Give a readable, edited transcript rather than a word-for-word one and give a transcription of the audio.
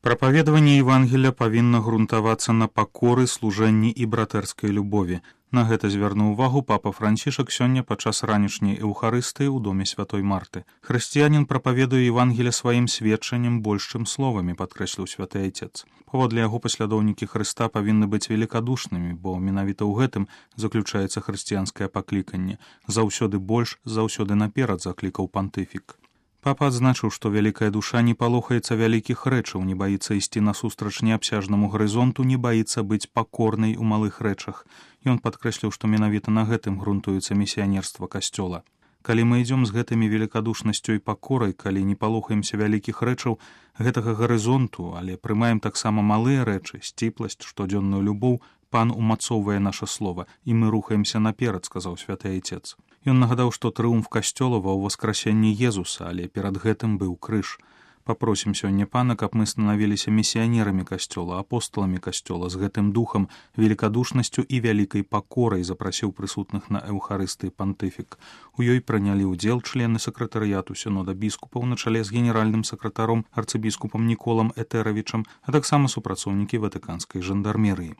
Прапаведаванне Евангелля павінна грунтавацца на пакоры, служэнні і братэрскай любові. На гэта звярнуў увагу папа Францішак сёння падчас ранішняй эўхарыстыі ў доме святой Марты. Хрысціянін прапаведуе Евангелля сваім сведчаннем больш, чым словамі, падкрэсліў святы айцец. Паводле яго паслядоўнікі Хрыста павінны быць велікадушнымі, бо менавіта ў гэтым заключаецца хрысціянскае пакліканне. Заўсёды больш, заўсёды наперад, заклікаў пантыфік. Папа адзначыў, што вялікая душа не палохаецца вялікіх рэчаў, не баіцца ісці насустрач неабсяжнаму гарызонту, не баіцца быць пакорнай у малых рэчах. Ён падкрэсліў, што менавіта на гэтым грунтуецца місіянерства касцёла. Калі мы ідзём з гэтымі велікадушнасцю і пакорай, калі не палохаемся вялікіх рэчаў, гэтага гарызонту, але прымаем таксама малыя рэчы, сціпласць, штодзённую любоў, пан умацоўвае наша слова, і мы рухаемся наперад, сказаў святы айцец. Ён нагадаў, што трыумф касцёлава ў воскрасенні Езуса, але перад гэтым быў крыж. Папросім сёння пана, каб мы станавіліся місіянерамі касцёла, апостоламі касцёла, з гэтым духам, велікадушнасцю і вялікай пакорай, запрасіў прысутных на эўхарыстыі пантыфік. У ёй прынялі ўдзел члены сакратарыяту сінода біскупаў на чале з генеральным сакратаром арцыбіскупам Ніколам Этэравічам, а таксама супрацоўнікі ватыканскай жандармерыі.